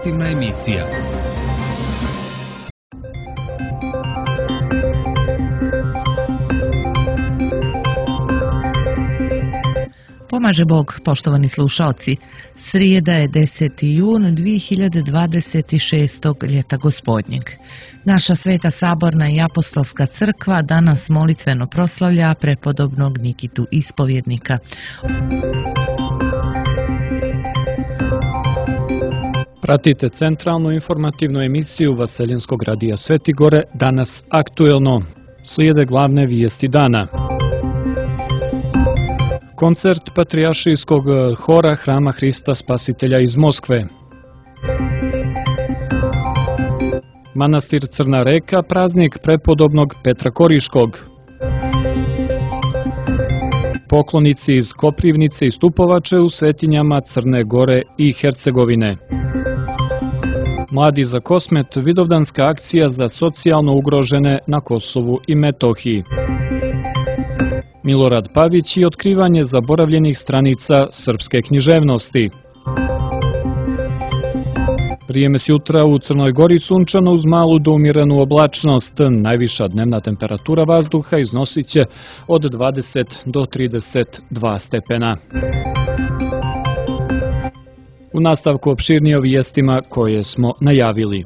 informativna emisija. Pomaže Bog, poštovani slušaoci. Srijeda je 10. jun 2026. ljeta gospodnjeg. Naša Sveta Saborna i Apostolska crkva danas molitveno proslavlja prepodobnog Nikitu Ispovjednika. Pratite centralnu informativnu emisiju Vaseljenskog radija Sveti Gore, danas aktuelno. Slijede glavne vijesti dana. Koncert Patrijaršijskog hora Hrama Hrista Spasitelja iz Moskve. Manastir Crna Reka, praznik prepodobnog Petra Koriškog. Poklonici iz Koprivnice i Stupovače u svetinjama Crne Gore i Hercegovine. Mladi za Kosmet, vidovdanska akcija za socijalno ugrožene na Kosovu i Metohiji. Milorad Pavić i otkrivanje zaboravljenih stranica srpske književnosti. Vrijeme jutra u Crnoj Gori sunčano uz malu do umjerenu oblačnost. Najviša dnevna temperatura vazduha iznosit će od 20 do 32 stepena. U nastavku opširnije o vijestima koje smo najavili.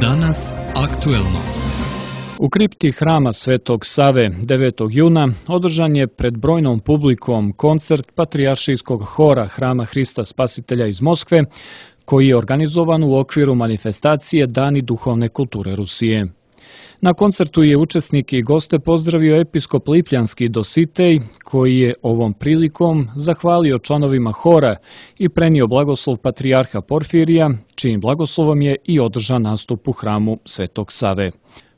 Danas aktuelno. U kripti Hrama Svetog Save 9. juna održan je pred brojnom publikom koncert Patrijaršijskog hora Hrama Hrista Spasitelja iz Moskve, koji je organizovan u okviru manifestacije Dani duhovne kulture Rusije. Na koncertu je učesnike i goste pozdravio episkop Lipljanski Dositej, koji je ovom prilikom zahvalio članovima hora i prenio blagoslov patrijarha Porfirija, čijim blagoslovom je i održan nastup u hramu Svetog Save.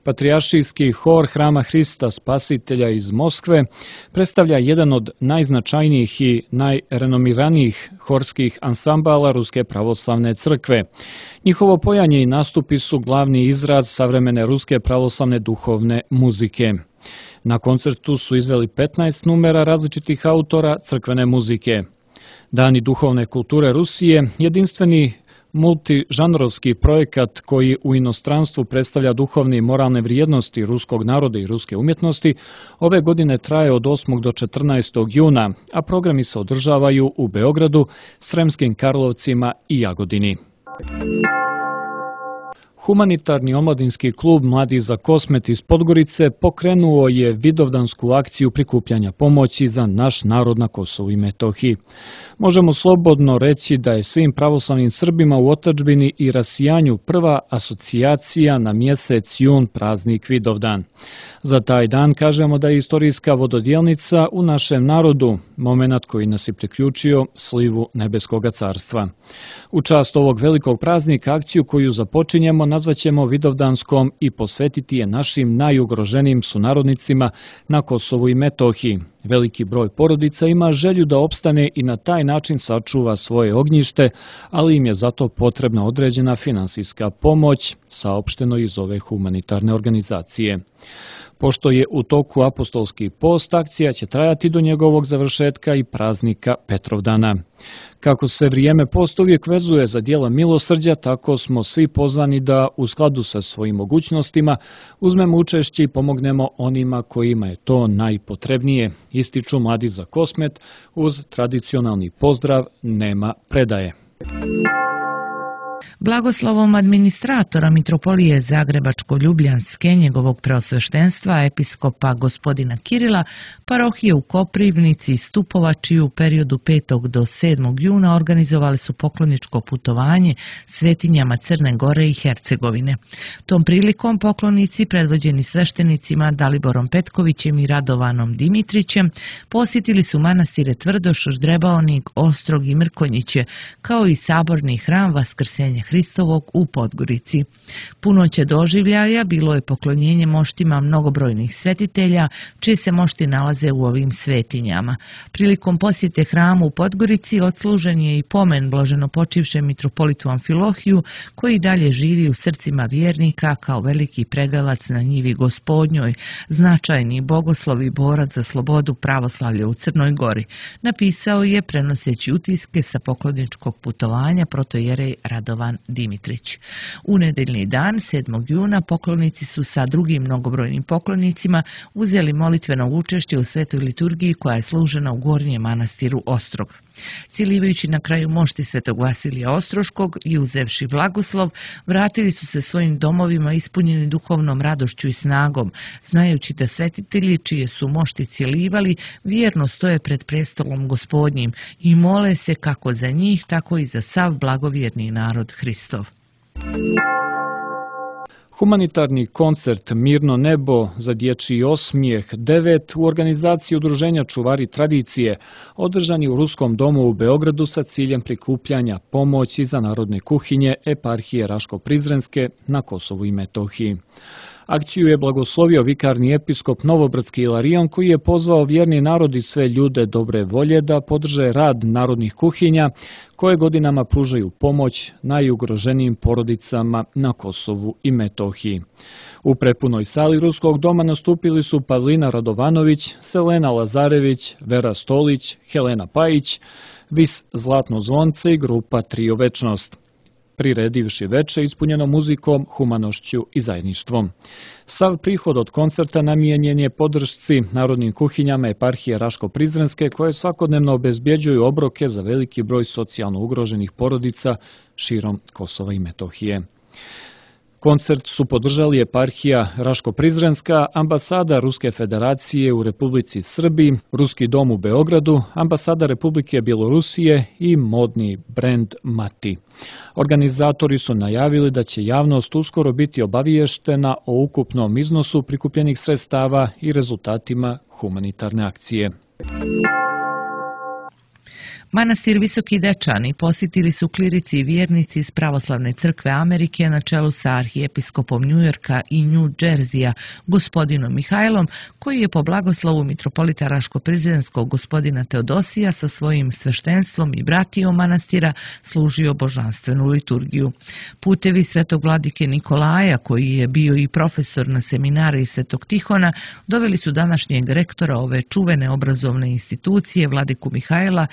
Patrijaršijski hor Hrama Hrista Spasitelja iz Moskve predstavlja jedan od najznačajnijih i najrenomiranijih horskih ansambala Ruske pravoslavne crkve. Njihovo pojanje i nastupi su glavni izraz savremene ruske pravoslavne duhovne muzike. Na koncertu su izveli 15 numera različitih autora crkvene muzike. Dani duhovne kulture Rusije, jedinstveni multižanrovski projekat koji u inostranstvu predstavlja duhovne i moralne vrijednosti ruskog naroda i ruske umjetnosti, ove godine traje od 8. do 14. juna, a programi se održavaju u Beogradu, Sremskim Karlovcima i Jagodini. Humanitarni omladinski klub Mladi za Kosmet iz Podgorice pokrenuo je vidovdansku akciju prikupljanja pomoći za naš narod na Kosovu i Metohiji. Možemo slobodno reći da je svim pravoslavnim Srbima u otadžbini i rasijanju prva asocijacija na mjesec jun praznik Vidovdan. Za taj dan kažemo da je istorijska vododjelnica u našem narodu, momenat koji nas je priključio slivu Nebeskoga carstva. U čast ovog velikog praznika akciju koju započinjemo nazvaćemo Vidovdanskom i posvetiti je našim najugroženijim sunarodnicima na Kosovu i Metohiji. Veliki broj porodica ima želju da opstane i na taj način sačuva svoje ognjište, ali im je zato potrebna određena finansijska pomoć, saopšteno iz ove humanitarne organizacije. Pošto je u toku apostolski post, akcija će trajati do njegovog završetka i praznika Petrovdana. Kako se vrijeme posta uvijek vezuje za djela milosrđa, tako smo svi pozvani da u skladu sa svojim mogućnostima uzmemo učešće i pomognemo onima kojima je to najpotrebnije, ističu Mladi za Kosmet uz tradicionalni pozdrav nema predaje. Blagoslovom administratora Mitropolije Zagrebačko-Ljubljanske, njegovog preosveštenstva, episkopa gospodina Kirila, parohije u Koprivnici i Stupovači u periodu 5. do 7. juna organizovali su pokloničko putovanje svetinjama Crne Gore i Hercegovine. Tom prilikom poklonici, predvođeni sveštenicima Daliborom Petkovićem i Radovanom Dimitrićem, posjetili su manastire Tvrdoš, Ždrebaonik, Ostrog i Mrkonjiće, kao i saborni hram Vaskrsenja Hristovog u Podgorici. Punoće doživljaja bilo je poklonjenje moštima mnogobrojnih svetitelja, čije se mošti nalaze u ovim svetinjama. Prilikom posjete hramu u Podgorici odslužen je i pomen blaženopočivšem mitropolitu Amfilohiju, koji dalje živi u srcima vjernika kao veliki pregalac na njivi Gospodnjoj, značajni bogoslov i borac za slobodu pravoslavlja u Crnoj Gori, napisao je prenoseći utiske sa pokloničkog putovanja protojerej Radovan Dimitrić. U nedeljni dan, 7. juna, poklonici su sa drugim mnogobrojnim poklonicima uzeli molitveno učešće u svetoj liturgiji koja je služena u Gornjem manastiru Ostrog. Cilivajući na kraju mošti svetog Vasilija Ostroškog i uzevši blagoslov, vratili su se svojim domovima ispunjeni duhovnom radošću i snagom, znajući da svetitelji čije su mošti cilivali vjerno stoje pred prestolom Gospodnjim i mole se kako za njih, tako i za sav blagovjerni narod Hristov. Humanitarni koncert Mirno nebo za dječji osmijeh 9 u organizaciji Udruženja Čuvari tradicije održan je u Ruskom domu u Beogradu sa ciljem prikupljanja pomoći za narodne kuhinje eparhije Raško-Prizrenske na Kosovu i Metohiji. Akciju je blagoslovio vikarni episkop Novobrdski Ilarion, koji je pozvao vjerni narod i sve ljude dobre volje da podrže rad narodnih kuhinja koje godinama pružaju pomoć najugroženijim porodicama na Kosovu i Metohiji. U prepunoj sali Ruskog doma nastupili su Pavlina Radovanović, Selena Lazarević, Vera Stolić, Helena Pajić, Vis Zlatno zvonce i grupa Trio Večnost, priredivši veče ispunjeno muzikom, humanošću i zajedništvom. Sav prihod od koncerta namijenjen je podršci narodnim kuhinjama eparhije Raško-Prizrenske, koje svakodnevno obezbjeđuju obroke za veliki broj socijalno ugroženih porodica širom Kosova i Metohije. Koncert su podržali eparhija Raško-Prizrenska, ambasada Ruske federacije u Republici Srbiji, Ruski dom u Beogradu, ambasada Republike Bjelorusije i modni brend Mati. Organizatori su najavili da će javnost uskoro biti obaviještena o ukupnom iznosu prikupljenih sredstava i rezultatima humanitarne akcije. Manastir Visoki Dečani posjetili su klirici i vjernici iz Pravoslavne crkve Amerike na čelu sa arhijepiskopom Njujorka i New Jersija, gospodinom Mihajlom, koji je po blagoslovu mitropolita Raško-Prizrenskog gospodina Teodosija sa svojim sveštenstvom i bratijom manastira služio božanstvenu liturgiju. Putevi svetog vladike Nikolaja, koji je bio i profesor na seminariji Svetog Tihona, doveli su današnjeg rektora ove čuvene obrazovne institucije, vladiku Mihajla,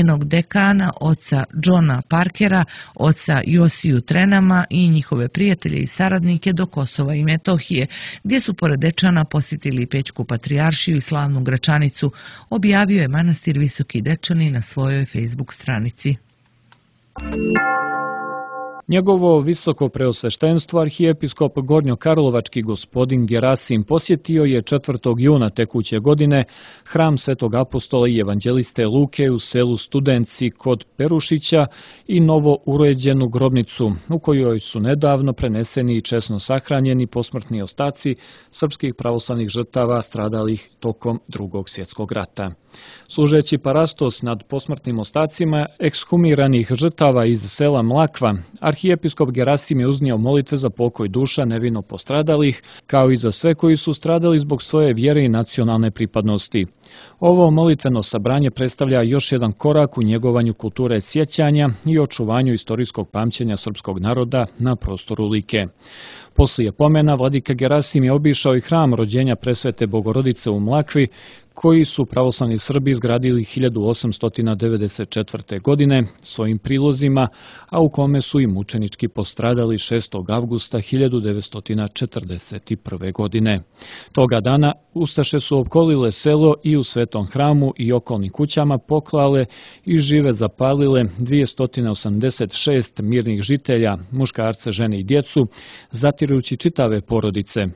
njenog dekana, oca Johna Parkera, oca Josiju Trenama i njihove prijatelje i saradnike do Kosova i Metohije, gdje su pored Dečana posjetili Pećku patrijaršiju i slavnu Gračanicu, objavio je manastir Visoki Dečani na svojoj Facebook stranici. Njegovo visoko preosveštenstvo arhijepiskop Gornjokarlovački gospodin Gerasim posjetio je 4. juna tekuće godine hram Svetog apostola i evanđeliste Luke u selu Studenci kod Perušića i novo uređenu grobnicu u kojoj su nedavno preneseni i česno sahranjeni posmrtni ostaci srpskih pravoslavnih žrtava stradalih tokom Drugog svjetskog rata. Služeći parastos nad posmrtnim ostacima ekshumiranih žrtava iz sela Mlakva, arhijepiskop Gerasim je uznio molitve za pokoj duša nevino postradalih, kao i za sve koji su stradali zbog svoje vjere i nacionalne pripadnosti. Ovo molitveno sabranje predstavlja još jedan korak u njegovanju kulture sjećanja i očuvanju istorijskog pamćenja srpskog naroda na prostoru Like. Poslije pomena, vladika Gerasim je obišao i hram rođenja presvete Bogorodice u Mlakvi, koji su pravoslavni Srbi izgradili 1894. godine svojim prilozima, a u kome su i mučenički postradali 6. avgusta 1941. godine. Toga dana ustaše su opkolile selo i u Svetom hramu i okolnim kućama poklale i žive zapalile 286 mirnih žitelja, muškarce, žene i djecu, zatirujući čitave porodice.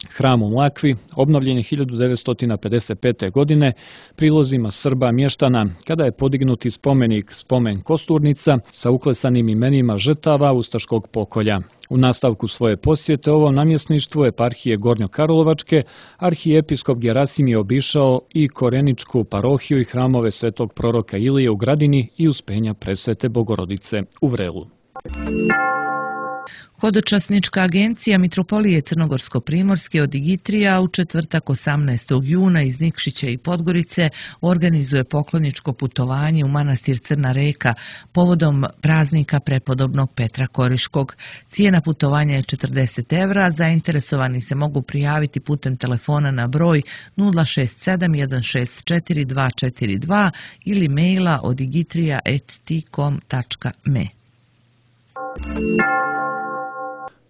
Hram u Mlakvi obnovljen je 1955. godine prilozima Srba mještana, kada je podignuti spomenik Spomen Kosturnica sa uklesanim imenima žrtava ustaškog pokolja. U nastavku svoje posjete ovom namjesništvu eparhije Gornjokarlovačke, arhijepiskop Gerasim je obišao i Koreničku parohiju i hramove svetog proroka Ilije u Gradini i Uspenja presvete Bogorodice u Vrelu. Hodočasnička agencija Mitropolije Crnogorsko-Primorske od Igitrija u četvrtak 18. juna iz Nikšića i Podgorice organizuje pokloničko putovanje u manastir Crna Reka povodom praznika prepodobnog Petra Koriškog. Cijena putovanja je 40 evra, zainteresovani se mogu prijaviti putem telefona na broj 067 164 242 ili maila od igitrija@tcom.me.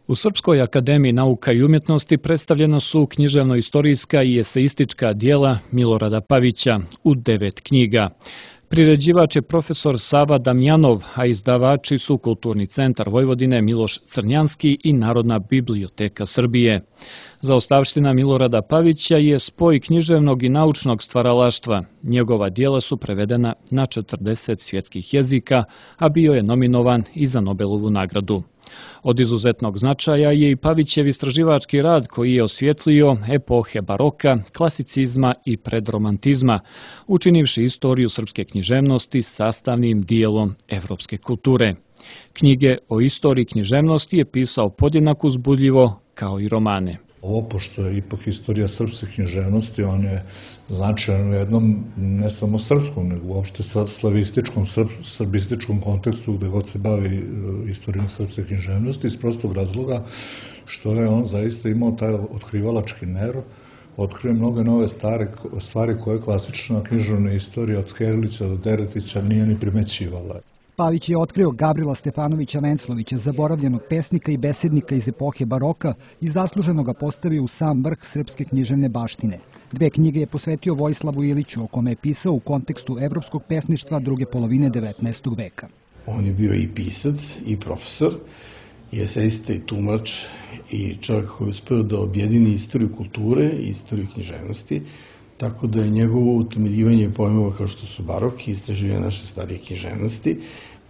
U Srpskoj akademiji nauka i umjetnosti predstavljena su književno-istorijska i eseistička dijela Milorada Pavića u 9 knjiga. Priređivač je profesor Sava Damjanov, a izdavači su Kulturni centar Vojvodine Miloš Crnjanski i Narodna biblioteka Srbije. Zaostavština Milorada Pavića je spoj književnog i naučnog stvaralaštva. Njegova dijela su prevedena na 40 svjetskih jezika, a bio je nominovan i za Nobelovu nagradu. Od izuzetnog značaja je i Pavićev istraživački rad koji je osvjetlio epohe baroka, klasicizma i predromantizma, učinivši istoriju srpske književnosti sastavnim dijelom evropske kulture. Knjige o istoriji književnosti je pisao podjednako uzbudljivo kao i romane. Ovo, pošto je ipak istorija srpske književnosti, on je značajan u jednom, ne samo srpskom, nego uopšte slavističkom, srbističkom kontekstu gde god se bavi istorijom srpske književnosti, iz prostog razloga što je on zaista imao taj otkrivalački nerv, otkrio mnoge nove stvari koje klasična književna istorija od Skerlića do Deretića nije ni primećivala. Pavić je otkrio Gavrila Stefanovića Venclovića, zaboravljenog pesnika i besednika iz epohe baroka i zasluženo ga postavio u sam vrh srpske književne baštine. 2 knjige je posvetio Vojislavu Iliću, o kome je pisao u kontekstu evropskog pesništva druge polovine 19. veka. On je bio i pisac, i profesor, i eseista, i tumač, i čovjek koji je uspeo da objedini istoriju kulture i istoriju književnosti, tako da je njegovo utemeljivanje pojmova kao što su barok i istraživanje naše starije književnosti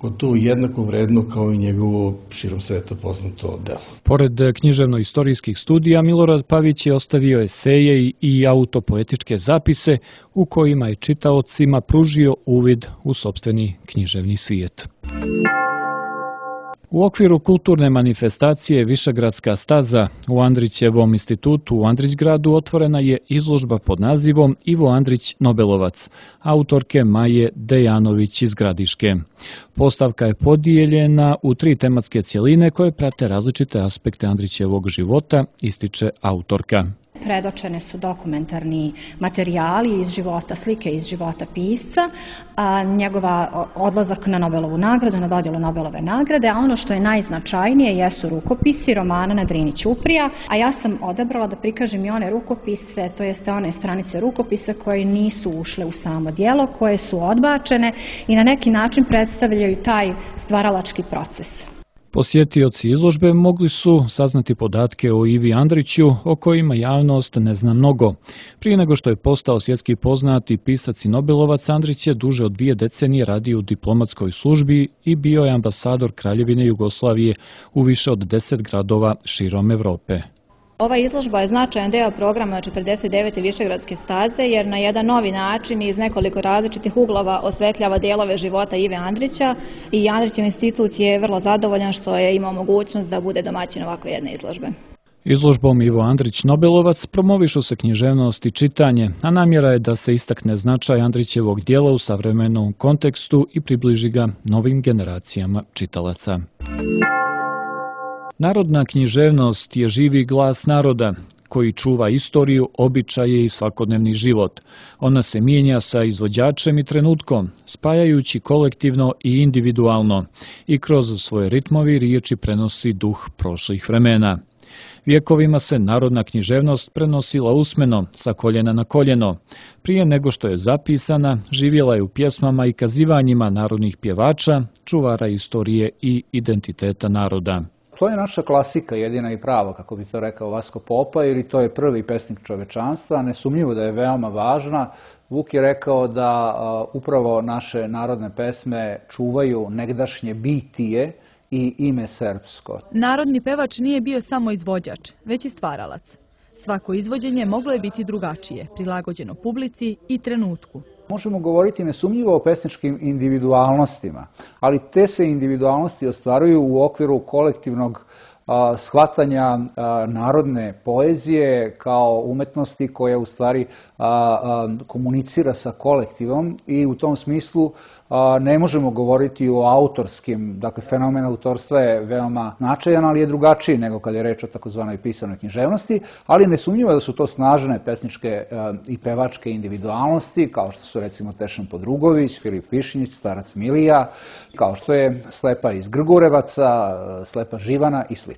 gotovo jednako vredno kao i njegovo širom sveta poznato delo. Pored književno-istorijskih studija, Milorad Pavić je ostavio eseje i autopoetičke zapise u kojima je čitaocima pružio uvid u sopstveni književni svijet. U okviru kulturne manifestacije Višegradska staza u Andrićevom institutu u Andrićgradu otvorena je izložba pod nazivom Ivo Andrić Nobelovac, autorke Maje Dejanović iz Gradiške. Postavka je podijeljena u 3 tematske cjeline koje prate različite aspekte Andrićevog života, ističe autorka. Predočene su dokumentarni materijali iz života, slike iz života pisca, njegova odlazak na Nobelovu nagradu, na dodjelu Nobelove nagrade, a ono što je najznačajnije jesu rukopisi romana na Drini Ćuprija, a ja sam odabrala da prikažem i one rukopise, to jeste one stranice rukopisa koje nisu ušle u samo djelo, koje su odbačene i na neki način predstavljaju taj stvaralački proces. Posjetioci izložbe mogli su saznati podatke o Ivi Andriću, o kojima javnost ne zna mnogo. Prije nego što je postao svjetski poznati pisac i Nobelovac, Andrić je duže od 2 decenije radio u diplomatskoj službi i bio je ambasador Kraljevine Jugoslavije u više od 10 gradova širom Evrope. Ova izložba je značajan deo programa 49. Višegradske staze jer na jedan novi način iz nekoliko različitih uglova osvetljava dijelove života Ive Andrića i Andrićev institut je vrlo zadovoljan što je imao mogućnost da bude domaćin ovako jedne izložbe. Izložbom Ivo Andrić Nobelovac promovišu se književnost i čitanje, a namjera je da se istakne značaj Andrićevog dijela u savremenom kontekstu i približi ga novim generacijama čitalaca. Narodna književnost je živi glas naroda koji čuva istoriju, običaje i svakodnevni život. Ona se mijenja sa izvođačem i trenutkom, spajajući kolektivno i individualno i kroz svoje ritmovi riječi prenosi duh prošlih vremena. Vjekovima se narodna književnost prenosila usmeno, sa koljena na koljeno. Prije nego što je zapisana, živjela je u pjesmama i kazivanjima narodnih pjevača, čuvara istorije i identiteta naroda. To je naša klasika, jedina i prava, kako bi to rekao Vasko Popa, jer i to je prvi pesnik čovečanstva. Nesumnjivo da je veoma važna. Vuk je rekao da upravo naše narodne pesme čuvaju negdašnje bitije i ime srpsko. Narodni pevač nije bio samo izvođač, već i stvaralac. Svako izvođenje moglo je biti drugačije, prilagođeno publici i trenutku. Možemo govoriti nesumnjivo o pesničkim individualnostima, ali te se individualnosti ostvaruju u okviru kolektivnog shvatanja narodne poezije kao umetnosti koja u stvari komunicira sa kolektivom i u tom smislu ne možemo govoriti o autorskim, dakle fenomen autorstva je veoma značajan, ali je drugačiji nego kad je reč o takozvanoj pisanoj književnosti, ali nesumnjivo je da su to snažne pesničke i pevačke individualnosti, kao što su recimo Tešan Podrugović, Filip Višnjić, Starac Milija, kao što je Slepa iz Grgurevaca, Slepa Živana i sl.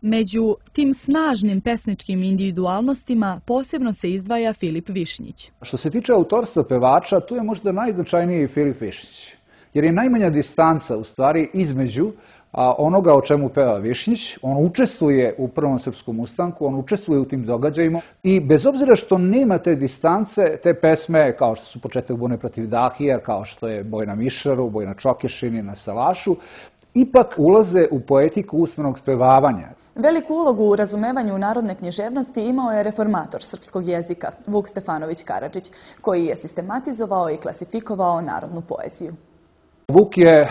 Među tim snažnim pesničkim individualnostima posebno se izdvaja Filip Višnjić. Što se tiče autorstva pevača, tu je možda najznačajniji Filip Višnjić, jer je najmanja distanca u stvari između onoga o čemu peva Višnjić. On učestvuje u Prvom srpskom ustanku, on učestvuje u tim događajima i bez obzira što nema te distance, te pesme kao što su Početak bune protiv Dahija, kao što je Boj na Mišaru, Boj na Čokešini, na Salašu, ipak ulaze u poetiku usmenog spevavanja. Veliku ulogu u razumevanju narodne književnosti imao je reformator srpskog jezika Vuk Stefanović Karadžić, koji je sistematizovao i klasifikovao narodnu poeziju. Vuk je,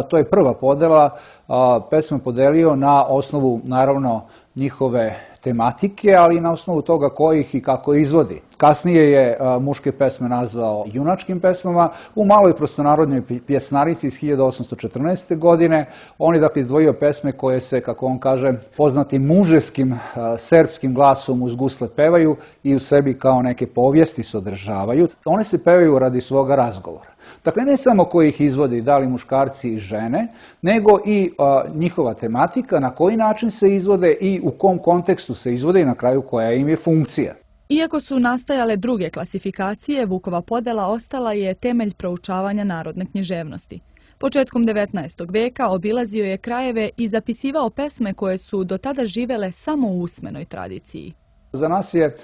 to je prva podela, pesme podelio na osnovu, naravno, njihove tematike, ali i na osnovu toga ko ih i kako izvodi. Kasnije je muške pesme nazvao junačkim pesmama. U maloj prostonarodnoj pjesnarici iz 1814. godine on je dakle izdvojio pesme koje se, kako on kaže, poznatim muževskim serbskim glasom uz gusle pevaju i u sebi kao neke povijesti sadržavaju. One se pevaju radi svoga razgovora. Dakle, ne samo koji ih izvodi, da li muškarci i žene, nego i njihova tematika, na koji način se izvode i u kom kontekstu se izvode i na kraju koja im je funkcija. Iako su nastajale druge klasifikacije, Vukova podela ostala je temelj proučavanja narodne književnosti. Početkom 19. veka obilazio je krajeve i zapisivao pesme koje su do tada živele samo u usmenoj tradiciji. Za nas je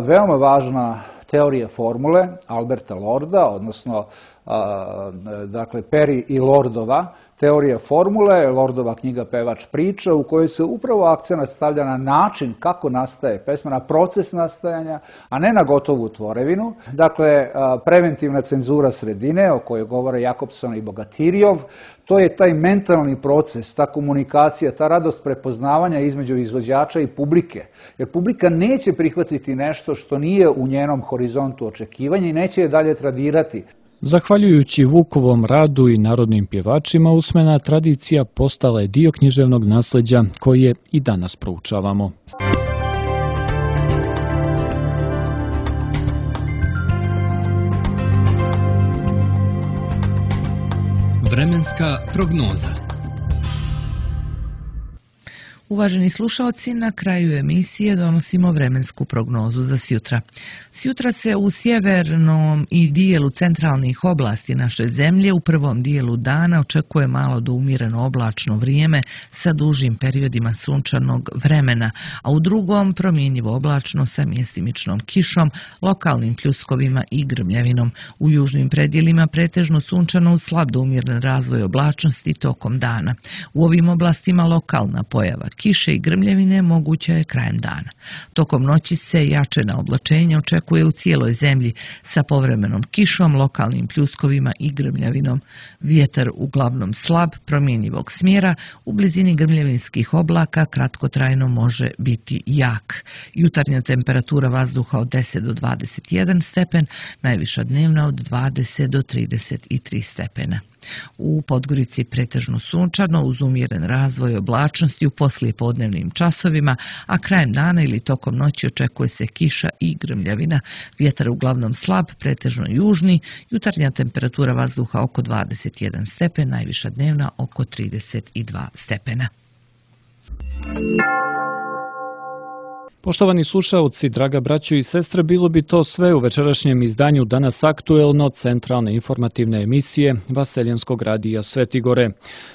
veoma važna teorija formule Alberta Lorda, odnosno dakle Perry i Lordova teorija formule, Lordova knjiga Pevač priča, u kojoj se upravo akcenat stavlja na način kako nastaje pesma, na proces nastajanja, a ne na gotovu tvorevinu. Dakle, preventivna cenzura sredine, o kojoj govore Jakobson i Bogatirjov, to je taj mentalni proces, ta komunikacija, ta radost prepoznavanja između izvođača i publike. Jer publika neće prihvatiti nešto što nije u njenom horizontu očekivanja i neće je dalje tradirati. Zahvaljujući Vukovom radu i narodnim pjevačima, usmena tradicija postala je dio književnog nasleđa koje i danas proučavamo. Vremenska prognoza. Uvaženi slušaoci, na kraju emisije donosimo vremensku prognozu za sjutra. Sjutra se u sjevernom i dijelu centralnih oblasti naše zemlje u prvom dijelu dana očekuje malo do umjereno oblačno vrijeme sa dužim periodima sunčanog vremena, a u drugom promjenjivo oblačno sa mjestimičnom kišom, lokalnim pljuskovima i grmljavinom. U južnim predjelima pretežno sunčano uz slab do umjeren razvoj oblačnosti tokom dana. U ovim oblastima lokalna pojava kiše i grmljavine moguća je krajem dana. Tokom noći se jačena oblačenja očekuje u cijeloj zemlji sa povremenom kišom, lokalnim pljuskovima i grmljavinom. Vjetar uglavnom slab, promjenjivog smjera, u blizini grmljavinskih oblaka kratkotrajno može biti jak. Jutarnja temperatura vazduha od 10 do 21 stepen, najviša dnevna od 20 do 33 stepena. U Podgorici pretežno sunčano uz umjeren razvoj oblačnosti u poslijepodnevnim časovima, a krajem dana ili tokom noći očekuje se kiša i grmljavina. Vjetar uglavnom slab, pretežno južni, jutarnja temperatura vazduha oko 21 stepen, najviša dnevna oko 32 stepena. Poštovani slušaoci, draga braćo i sestre, bilo bi to sve u večerašnjem izdanju Danas aktuelno centralne informativne emisije Vaseljenskog radija Svetigore.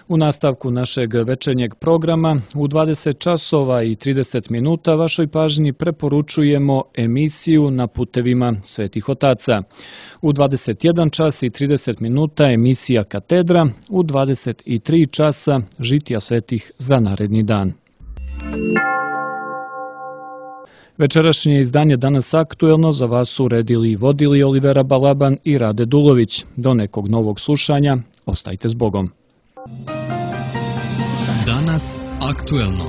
U nastavku našeg večernjeg programa u 20 časova i 30 minuta vašoj pažnji preporučujemo emisiju Na putevima svetih otaca. U 21 čas i 30 minuta emisija Katedra, u 23 časa Žitija svetih za naredni dan. Večerašnje izdanje Danas aktuelno za vas su uredili i vodili Olivera Balaban i Rade Dulović. Do nekog novog slušanja, ostajte s Bogom. Danas Aktuelno.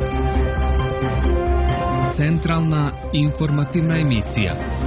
Centralna informativna emisija.